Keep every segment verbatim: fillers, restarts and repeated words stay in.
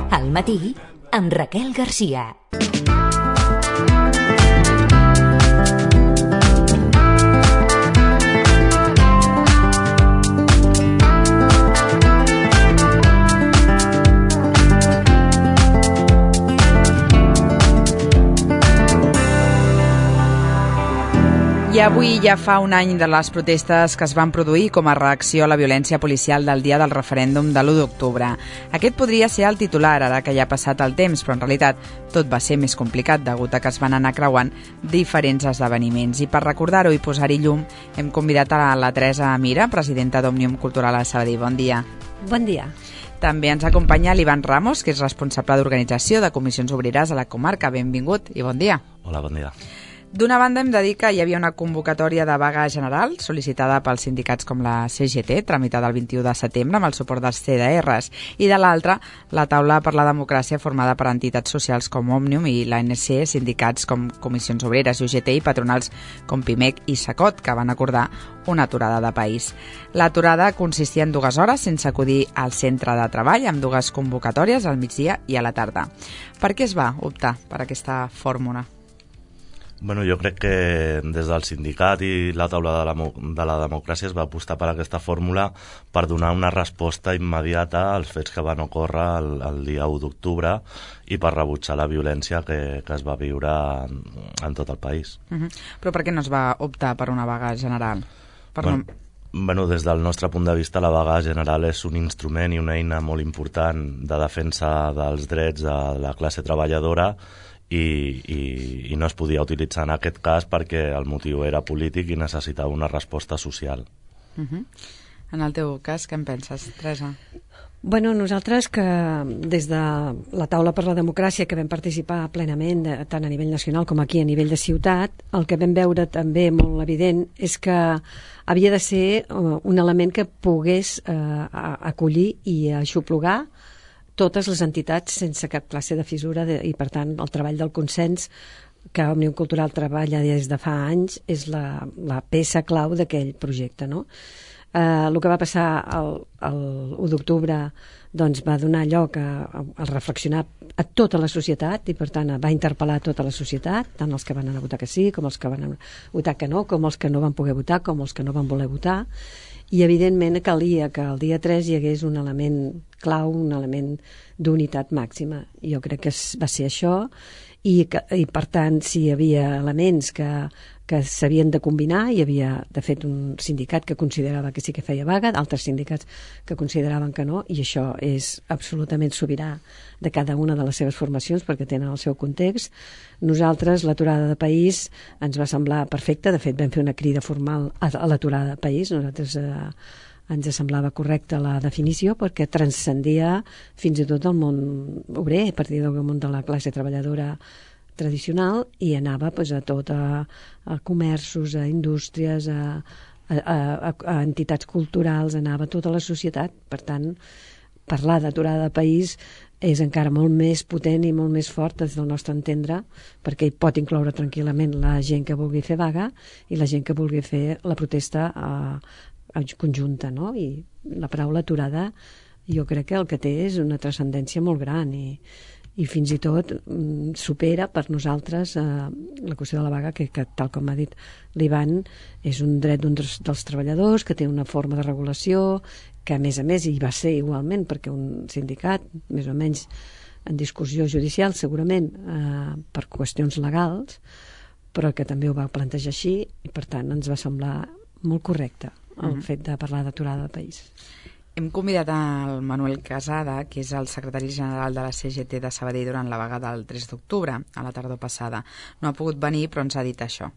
Al matí, amb Raquel Garcia. I avui ja fa un any de les protestes que es van produir com a reacció a la violència policial del dia del referèndum de l'u d'octubre. Aquest podria ser el titular ara que ja ha passat el temps, però en realitat tot va ser més complicat degut a que es van anar creuant diferents esdeveniments. I per recordar-ho i posar-hi llum hem convidat a la Teresa Mira, presidenta d'Òmnium Cultural a Sabadell. Bon dia. Bon dia. També ens acompanya l'Ivan Ramos, que és responsable d'organització de comissions obreres a la comarca. Benvingut i bon dia. Hola, bon dia. D'una banda hem de dir que hi havia una convocatòria de vaga general sol·licitada pels sindicats com la C G T, tramitada el vint-i-u de setembre amb el suport dels C D Rs, i de l'altra, la taula per la democràcia formada per entitats socials com Òmnium i l'A N C, sindicats com Comissions Obreres i U G T i patronals com Pimec i Sacot, que van acordar una aturada de país. L'aturada consistia en dues hores sense acudir al centre de treball, amb dues convocatòries al migdia i a la tarda. Per què es va optar per aquesta fórmula? Bueno, jo crec que des del sindicat i la taula de la, de la democràcia es va apostar per aquesta fórmula per donar una resposta immediata als fets que van ocórrer el, el dia u d'octubre i per rebutjar la violència que, que es va viure en, en tot el país. Uh-huh. Però per què no es va optar per una vaga general? Per bueno, no... bueno, des del nostre punt de vista la vaga general és un instrument i una eina molt important de defensa dels drets de la classe treballadora I, i, i no es podia utilitzar en aquest cas perquè el motiu era polític i necessitava una resposta social. Uh-huh. En el teu cas, què en penses, Teresa? Bueno, nosaltres que des de la taula per la democràcia que vam participar plenament, tant a nivell nacional com aquí a nivell de ciutat, el que vam veure també molt evident és que havia de ser un element que pogués eh, acollir i aixoplugar totes les entitats sense cap classe de fissura de, i, per tant, el treball del consens que Òmnium Cultural treballa des de fa anys és la, la peça clau d'aquell projecte, no? Eh, el que va passar el, el u d'octubre doncs, va donar lloc a, a reflexionar a tota la societat i, per tant, va interpel·lar tota la societat, tant els que van anar a votar que sí, com els que van votar que no, com els que no van poder votar, com els que no van voler votar. I, evidentment, calia que el dia tres hi hagués un element clau, un element d'unitat màxima. Jo crec que va ser això i, que, i per tant, si hi havia elements que, que s'havien de combinar, hi havia, de fet, un sindicat que considerava que sí que feia vaga, altres sindicats que consideraven que no, i això és absolutament sobirà de cada una de les seves formacions perquè tenen el seu context. Nosaltres, l'aturada de país ens va semblar perfecta, de fet vam fer una crida formal a, a l'aturada de país, nosaltres eh, ens semblava correcta la definició perquè transcendia fins i tot el món obrer, a partir del món de la classe treballadora tradicional i anava pues, a tot, a, a comerços, a indústries, a, a, a, a entitats culturals, anava a tota la societat. Per tant, parlar d'aturada de país és encara molt més potent i molt més fort des del nostre entendre, perquè hi pot incloure tranquil·lament la gent que vulgui fer vaga i la gent que vulgui fer la protesta a, a conjunta, no? I la paraula aturada jo crec que el que té és una transcendència molt gran i, i fins i tot mm, supera per nosaltres eh, la qüestió de la vaga que, que tal com ha dit l'Ivan és un dret d'un dels, dels treballadors que té una forma de regulació que a més a més hi va ser igualment perquè un sindicat més o menys en discussió judicial segurament eh, per qüestions legals però que també ho va plantejar així i per tant ens va semblar molt correcte el mm-hmm. fet de parlar d'aturada del país. Hem convidat al Manuel Casada, que és el secretari general de la C G T de Sabadell durant la vaga del tres d'octubre, a la tardor passada. No ha pogut venir, però ens ha dit això.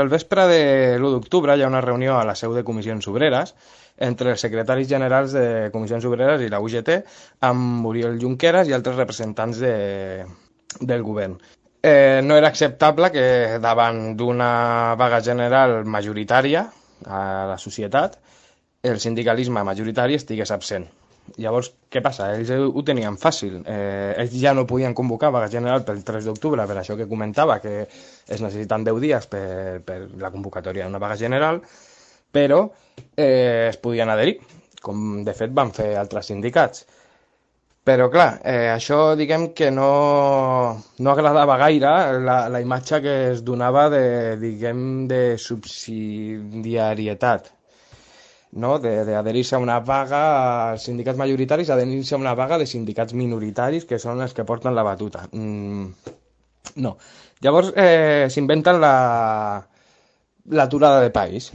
El vespre de l'u d'octubre hi ha una reunió a la seu de Comissions Obreres entre els secretaris generals de Comissions Obreres i la U G T amb Oriol Junqueras i altres representants de, del govern. Eh, no era acceptable que davant d'una vaga general majoritària a la societat el sindicalisme majoritari estigués absent. Llavors, què passa? Ells ho tenien fàcil. Eh, ells ja no podien convocar vaga general pel tres d'octubre, per això que comentava, que es necessiten deu dies per, per la convocatòria d'una vaga general, però eh, es podien adherir, com de fet van fer altres sindicats. Però, clar, eh, això, diguem que no, no agradava gaire la, la imatge que es donava de, diguem, de subsidiarietat, no? D'adherir-se a una vaga als sindicats majoritaris, adherir-se a una vaga de sindicats minoritaris, que són els que porten la batuta. Mm, no. Llavors, eh, s'inventen la, l'aturada de país.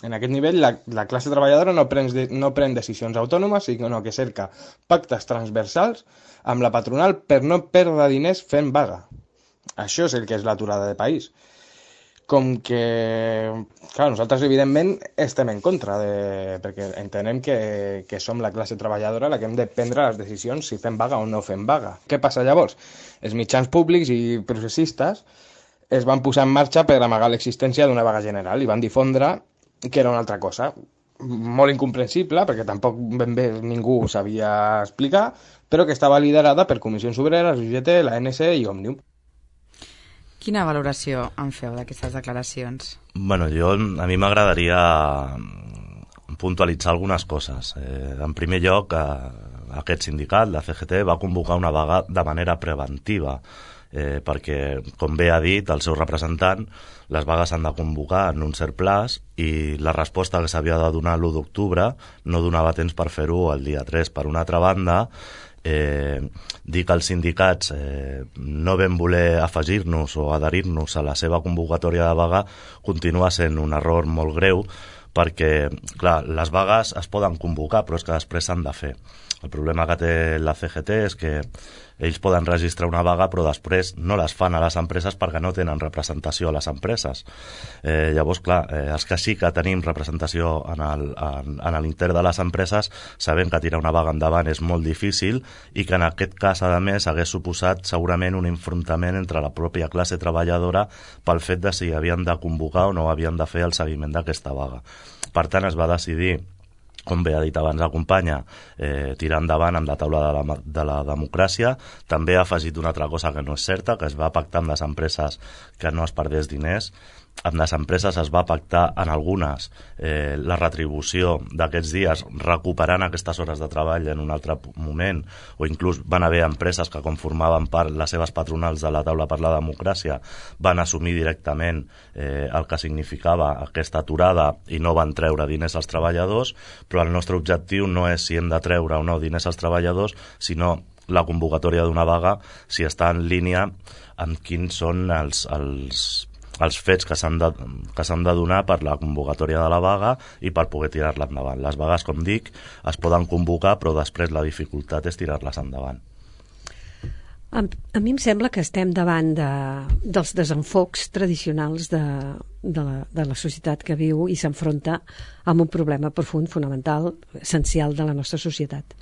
En aquest nivell, la, la classe treballadora no pren, de, no pren decisions autònomes, sinó que cerca pactes transversals amb la patronal per no perdre diners fent vaga. Això és el que és l'aturada de país. Com que, clar, nosaltres evidentment estem en contra, de, perquè entenem que, que som la classe treballadora la que hem de prendre les decisions si fem vaga o no fem vaga. Què passa llavors? Els mitjans públics i processistes es van posar en marxa per amagar l'existència d'una vaga general i van difondre que era una altra cosa, molt incomprensible, perquè tampoc ben bé ningú ho sabia explicar, però que estava liderada per Comissions Obreres, U G T, la A N S i Òmnium. Quina valoració en feu d'aquestes declaracions? Bueno, jo, a mi m'agradaria puntualitzar algunes coses. Eh, en primer lloc, eh, aquest sindicat, la C G T, va convocar una vaga de manera preventiva, eh, perquè, com bé ha dit el seu representant, les vagues s'han de convocar en un cert plaç i la resposta que s'havia de donar l'u d'octubre no donava temps per fer-ho el dia tres. Per una altra banda, eh, dir que els sindicats eh, no vam voler afegir-nos o adherir-nos a la seva convocatòria de vaga continua sent un error molt greu, perquè, clar, les vagues es poden convocar, però és que després s'han de fer. El problema que té la C G T és que ells poden registrar una vaga però després no les fan a les empreses perquè no tenen representació a les empreses. Eh, llavors, clar, eh, els que sí que tenim representació en el, en, en l'intern de les empreses sabem que tirar una vaga endavant és molt difícil i que en aquest cas, a més, hagués suposat segurament un enfrontament entre la pròpia classe treballadora pel fet de si havien de convocar o no havien de fer el seguiment d'aquesta vaga. Per tant, es va decidir, com bé ha dit abans la companya, eh, tirar endavant amb la taula de la, de la democràcia. També ha afegit una altra cosa que no és certa, que es va pactar amb les empreses que no es perdés diners. Amb les empreses es va pactar en algunes eh, la retribució d'aquests dies recuperant aquestes hores de treball en un altre moment, o inclús van haver empreses que, com formaven part les seves patronals de la taula per la democràcia, van assumir directament eh, el que significava aquesta aturada i no van treure diners als treballadors, però el nostre objectiu no és si hem de treure o no diners als treballadors, sinó la convocatòria d'una vaga si està en línia amb quins són els, els els fets que s'han de, que s'han de donar per la convocatòria de la vaga i per poder tirar-la endavant. Les vagues, com dic, es poden convocar, però després la dificultat és tirar-les endavant. A, a mi em sembla que estem davant de, dels desenfocs tradicionals de, de, la, de la societat que viu i s'enfronta amb un problema profund, fonamental, essencial de la nostra societat.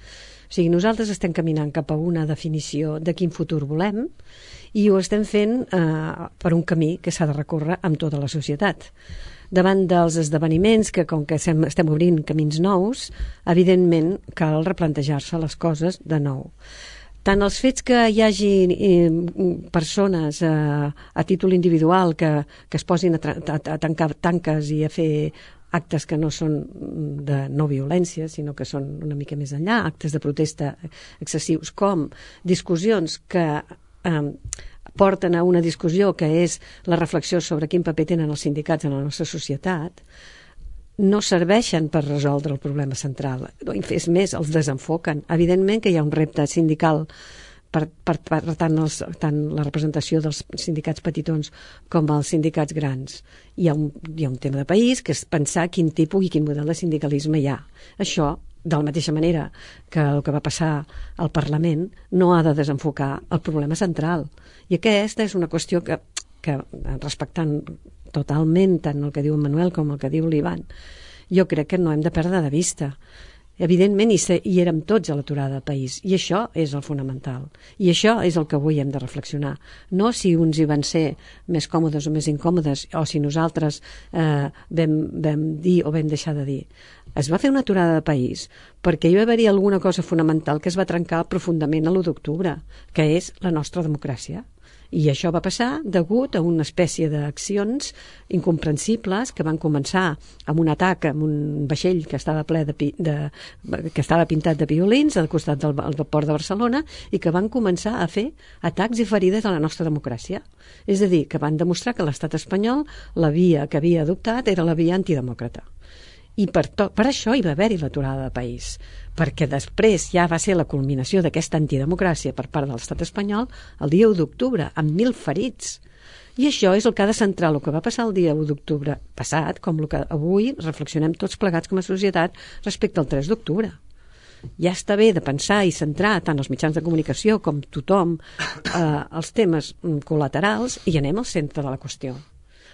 O sigui, nosaltres estem caminant cap a una definició de quin futur volem i ho estem fent eh, per un camí que s'ha de recórrer amb tota la societat. Davant dels esdeveniments, que com que estem, estem obrint camins nous, evidentment cal replantejar-se les coses de nou. Tant els fets que hi hagi eh, persones eh, a títol individual que, que es posin a, a, a tancar tanques i a fer actes que no són de no violència, sinó que són una mica més enllà, actes de protesta excessius, com discussions que eh, porten a una discussió que és la reflexió sobre quin paper tenen els sindicats en la nostra societat, no serveixen per resoldre el problema central. És més, els desenfoquen. Evidentment que hi ha un repte sindical per, per, per tant, els, tant la representació dels sindicats petitons com els sindicats grans. Hi ha, un, hi ha un tema de país que és pensar quin tipus i quin model de sindicalisme hi ha. Això, de la mateixa manera que el que va passar al Parlament, no ha de desenfocar el problema central. I aquesta és una qüestió que, que respectant totalment tant el que diu en Manuel com el que diu l'Ivan, jo crec que no hem de perdre de vista. Evidentment, hi, hi érem tots a l'aturada del país, i això és el fonamental. I això és el que avui hem de reflexionar. No si uns hi van ser més còmodes o més incòmodes, o si nosaltres eh, vam, vam dir o vam deixar de dir. Es va fer una aturada de país perquè hi va haver alguna cosa fonamental que es va trencar profundament a l'u d'octubre, que és la nostra democràcia. I això va passar degut a una espècie d'accions incomprensibles que van començar amb un atac amb un vaixell que estava ple de, de que estava pintat de violins al costat del, del port de Barcelona i que van començar a fer atacs i ferides a la nostra democràcia. És a dir, que van demostrar que l'estat espanyol, la via que havia adoptat era la via antidemòcrata. I per, to, per això hi va haver-hi l'aturada de país, perquè després ja va ser la culminació d'aquesta antidemocràcia per part de l'estat espanyol el dia u d'octubre, amb mil ferits. I això és el que ha de centrar el que va passar el dia u d'octubre passat, com el que avui reflexionem tots plegats com a societat respecte al tres d'octubre. Ja està bé de pensar i centrar tant els mitjans de comunicació com tothom eh, els temes col·laterals i anem al centre de la qüestió.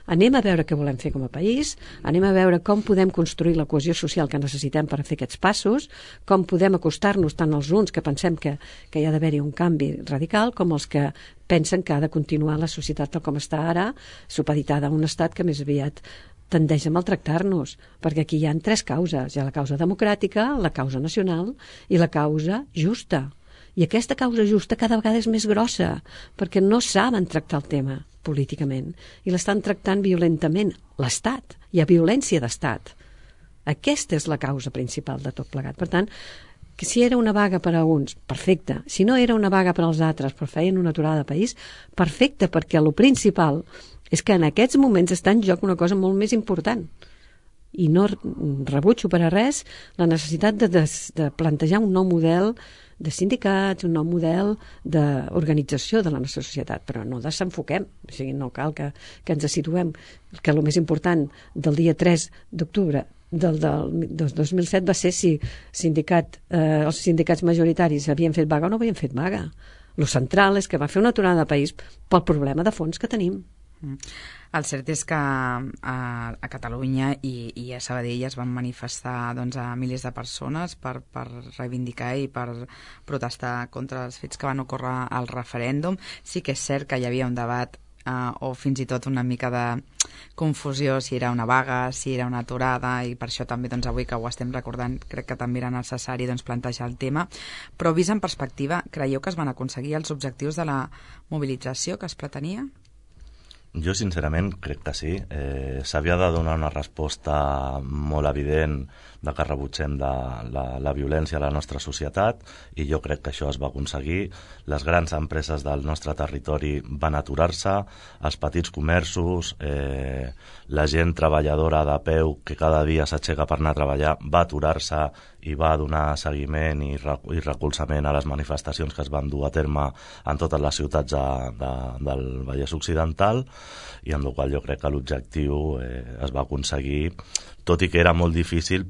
Anem a veure què volem fer com a país, anem a veure com podem construir la cohesió social que necessitem per fer aquests passos, com podem acostar-nos tant als uns que pensem que, que hi ha d'haver-hi un canvi radical com els que pensen que ha de continuar la societat tal com està ara, supeditada a un estat que més aviat tendeix a maltractar-nos, perquè aquí hi ha tres causes. Hi ha la causa democràtica, la causa nacional i la causa justa. I aquesta causa justa cada vegada és més grossa, perquè no saben tractar el tema políticament i l'estan tractant violentament. L'Estat, hi ha violència d'Estat. Aquesta és la causa principal de tot plegat. Per tant, que si era una vaga per a uns, perfecte. Si no era una vaga per als altres, però feien una aturada de país, perfecte, perquè el principal és que en aquests moments està en joc una cosa molt més important. I no rebutjo per a res la necessitat de, de, de plantejar un nou model de sindicats, un nou model d'organització de la nostra societat, però no desenfoquem, o sigui, no cal que, que ens situem, que el més important del dia tres d'octubre del, del dos mil set va ser si sindicat, eh, els sindicats majoritaris havien fet vaga o no havien fet vaga. Lo central és que va fer una aturada de país pel problema de fons que tenim. El cert és que a, a Catalunya i, i a Sabadell es van manifestar doncs, a milers de persones per, per reivindicar i per protestar contra els fets que van ocórrer al referèndum. Sí que és cert que hi havia un debat uh, o fins i tot una mica de confusió si era una vaga, si era una aturada, i per això també doncs, avui que ho estem recordant crec que també era necessari doncs, plantejar el tema. Però vist en perspectiva, creieu que es van aconseguir els objectius de la mobilització que es pretenia? Jo, sincerament, crec que sí. Eh, S'havia de donar una resposta molt evident de que rebutgem de la, la violència a la nostra societat, i jo crec que això es va aconseguir. Les grans empreses del nostre territori van aturar-se, els petits comerços, eh, la gent treballadora de peu que cada dia s'aixeca per anar a treballar va aturar-se i va donar seguiment i, i recolzament a les manifestacions que es van dur a terme en totes les ciutats de, de, del Vallès Occidental, i amb la qual jo crec que l'objectiu eh, es va aconseguir, tot i que era molt difícil,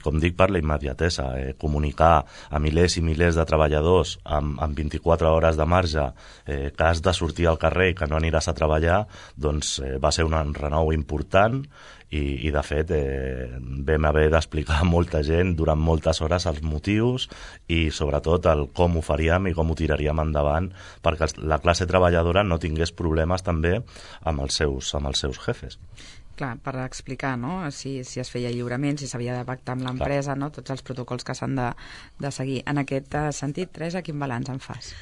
com dic, per la immediatesa. Eh, comunicar a milers i milers de treballadors amb, amb vint-i-quatre hores de marge eh, que has de sortir al carrer i que no aniràs a treballar, doncs eh, va ser un renou important, i, i de fet eh, vam haver d'explicar a molta gent durant moltes hores els motius i sobretot el com ho faríem i com ho tiraríem endavant perquè la classe treballadora no tingués problemes també amb els seus, amb els seus jefes. Clar, per explicar, no?, si, si es feia lliurament, si s'havia de pactar amb l'empresa, no?, tots els protocols que s'han de, de seguir. En aquest sentit, Teresa, quin balanç en fas?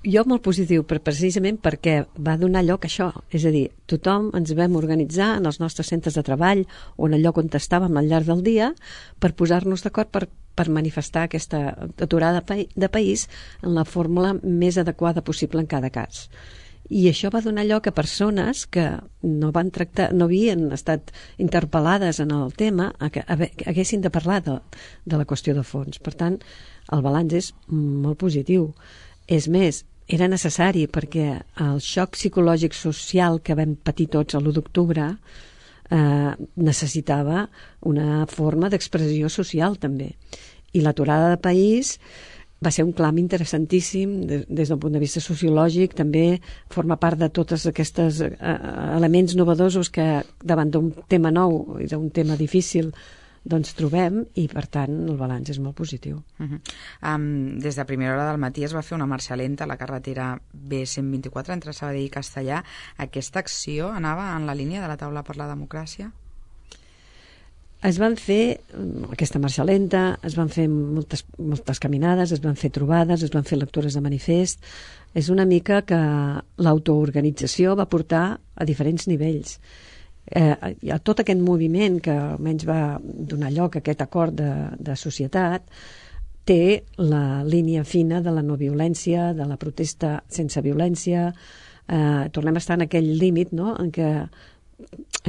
Jo molt positiu, però precisament perquè va donar lloc a això. És a dir, tothom ens vam organitzar en els nostres centres de treball o en el lloc on estàvem al llarg del dia per posar-nos d'acord per, per manifestar aquesta aturada de país en la fórmula més adequada possible en cada cas. I això va donar lloc a persones que no van tractar, no havien estat interpel·lades en el tema, a que haguessin de parlar de, de la qüestió de fons. Per tant, el balanç és molt positiu. És més, era necessari perquè el xoc psicològic social que vam patir tots l'u d'octubre eh, necessitava una forma d'expressió social també. I l'aturada de país va ser un clam interessantíssim des, des del punt de vista sociològic, també forma part de tots aquests eh, elements novedosos que davant d'un tema nou i d'un tema difícil doncs trobem, i per tant el balanç és molt positiu. Uh-huh. um, Des de primera hora del matí es va fer una marxa lenta a la carretera B cent vint-i-quatre entre Sabadell i Castellar. Aquesta acció anava en la línia de la taula per la democràcia? es van fer aquesta marxa lenta, es van fer moltes, moltes caminades, es van fer trobades, es van fer lectures de manifest. És una mica que l'autoorganització va portar a diferents nivells. Eh, a tot aquest moviment que almenys va donar lloc a aquest acord de, de societat té la línia fina de la no violència, de la protesta sense violència. Eh, tornem a estar en aquell límit, no?, en què,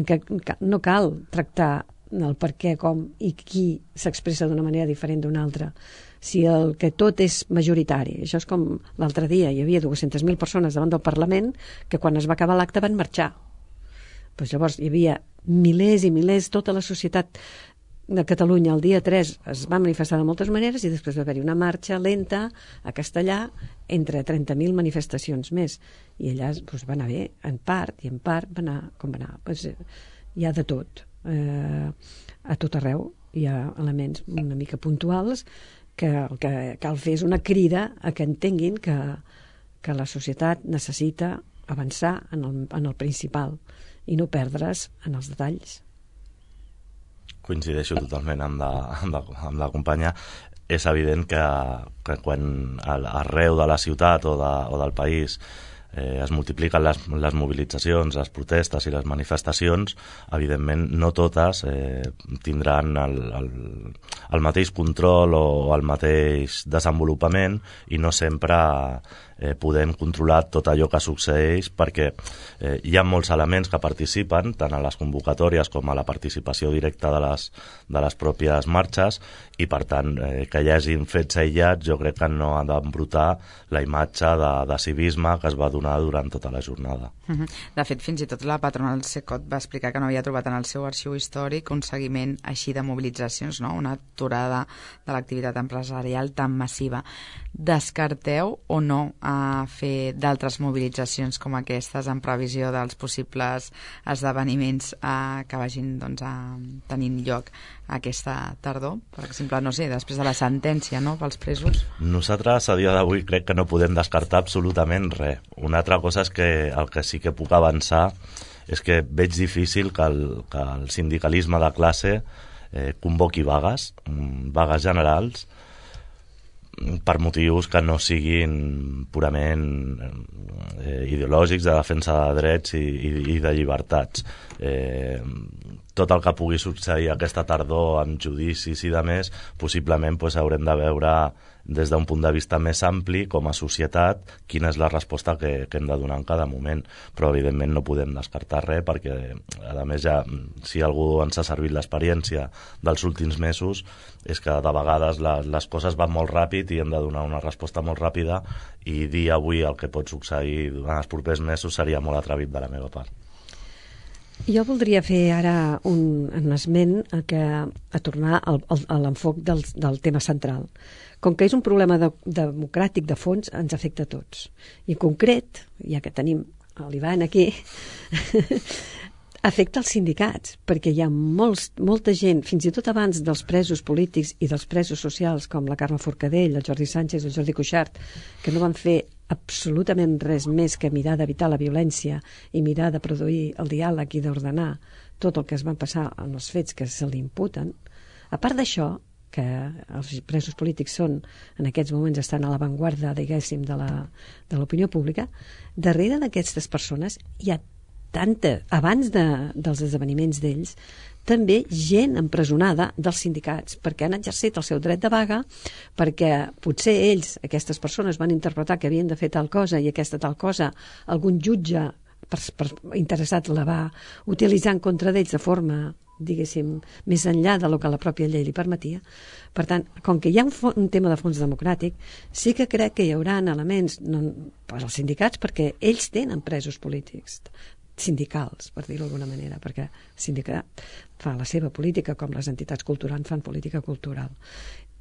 en què no cal tractar el per què, com i qui s'expressa d'una manera diferent d'una altra. Si el que tot és majoritari, això és com l'altre dia, hi havia dues-centes mil persones davant del Parlament que quan es va acabar l'acte van marxar. Pues llavors hi havia milers i milers, tota la societat de Catalunya el dia tres es va manifestar de moltes maneres i després va haver-hi una marxa lenta a Castellà entre trenta mil manifestacions més i allà pues, va anar bé, en part i en part va anar com va anar. Pues, hi ha de tot, eh, a tot arreu hi ha elements una mica puntuals que el que cal fer és una crida a que entenguin que, que la societat necessita avançar en el, en el principal i no perdre's en els detalls. Coincideixo totalment amb la, amb la, amb la companya. És evident que, que quan arreu de la ciutat o, de, o del país eh, es multipliquen les, les mobilitzacions, les protestes i les manifestacions, evidentment no totes eh, tindran el, el, el mateix control o el mateix desenvolupament i no sempre eh, podem controlar tot allò que succeeix perquè eh, hi ha molts elements que participen tant a les convocatòries com a la participació directa de les, de les pròpies marxes i per tant eh, que hi hagin fets aïllats jo crec que no ha d'embrutar la imatge de, de civisme que es va donar durant tota la jornada. De fet, fins i tot la patronal Secot va explicar que no havia trobat en el seu arxiu històric un seguiment així de mobilitzacions, no? Una aturada de l'activitat empresarial tan massiva. Descarteu o no a fer d'altres mobilitzacions com aquestes en previsió dels possibles esdeveniments eh, que vagin doncs, a, tenint lloc aquesta tardor? Per exemple, no sé, després de la sentència, no?, pels presos. Nosaltres a dia d'avui crec que no podem descartar absolutament res. Una altra cosa és que el que sí que puc avançar és que veig difícil que el, que el sindicalisme de classe eh, convoqui vagues, vagues generals, per motius que no siguin purament eh, ideològics de defensa de drets i, i, i de llibertats. Eh, tot el que pugui succeir aquesta tardor amb judicis i de més, possiblement pues, haurem de veure des d'un punt de vista més ampli com a societat quina és la resposta que, que hem de donar en cada moment, però evidentment no podem descartar res perquè a més ja, si algú ens ha servit l'experiència dels últims mesos és que de vegades les, les coses van molt ràpid i hem de donar una resposta molt ràpida i dir avui el que pot succeir durant els propers mesos seria molt atrevit de la meva part. Jo voldria fer ara un, un esment a, que, a tornar al, al, a l'enfoc del, del tema central. Com que és un problema de, democràtic de fons, ens afecta a tots. I en concret, ja que tenim l'Ivan aquí, afecta els sindicats, perquè hi ha molts, molta gent, fins i tot abans dels presos polítics i dels presos socials, com la Carme Forcadell, el Jordi Sánchez, el Jordi Cuixart, que no van fer absolutament res més que mirar d'evitar la violència i mirar de produir el diàleg i d'ordenar tot el que es va passar en els fets que se li imputen. A part d'això, que els presos polítics són, en aquests moments estan a l'avantguarda, diguéssim, de la, de l'opinió pública, darrere d'aquestes persones hi ha tanta, abans de, dels esdeveniments d'ells, també gent empresonada dels sindicats, perquè han exercit el seu dret de vaga, perquè potser ells, aquestes persones, van interpretar que havien de fer tal cosa i aquesta tal cosa, algun jutge per, per interessat la va utilitzar en contra d'ells de forma, diguéssim, més enllà de lo que la pròpia llei li permetia. Per tant, com que hi ha un, un tema de fons democràtic, sí que crec que hi haurà elements no, per als sindicats, perquè ells tenen presos polítics, sindicals, per dir-ho d'alguna manera, perquè el sindicat fa la seva política com les entitats culturals fan política cultural.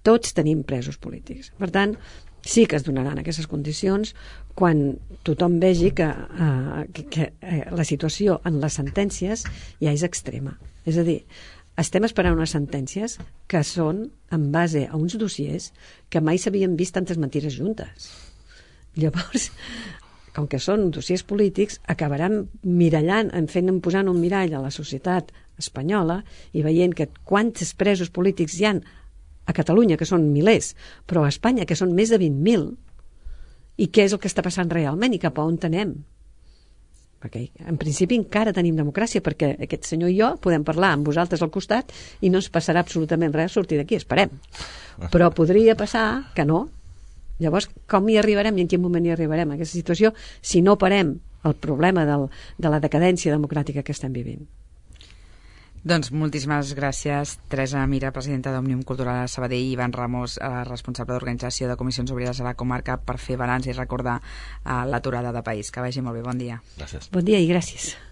Tots tenim presos polítics. Per tant, sí que es donaran aquestes condicions quan tothom vegi que, uh, que, que uh, la situació en les sentències ja és extrema. És a dir, estem esperant unes sentències que són en base a uns dossiers que mai s'havien vist tantes mentides juntes. Llavors, com que són dossiers polítics, acabaran mirallant, en fent, posant un mirall a la societat espanyola i veient que quants presos polítics hi han a Catalunya, que són milers, però a Espanya, que són més de vint mil, i què és el que està passant realment i cap a on anem. Perquè en principi encara tenim democràcia, perquè aquest senyor i jo podem parlar amb vosaltres al costat i no ens passarà absolutament res a sortir d'aquí, esperem. Però podria passar que no. Llavors, com hi arribarem i en quin moment hi arribarem a aquesta situació si no parem el problema del, de la decadència democràtica que estem vivint? Doncs moltíssimes gràcies, Teresa Mira, presidenta d'Òmnium Cultural a Sabadell, i Ivan Ramos, eh, responsable d'organització de Comissions Obreres a la comarca, per fer balanç i recordar eh, l'aturada de país. Que vagi molt bé, bon dia. Gràcies. Bon dia i gràcies.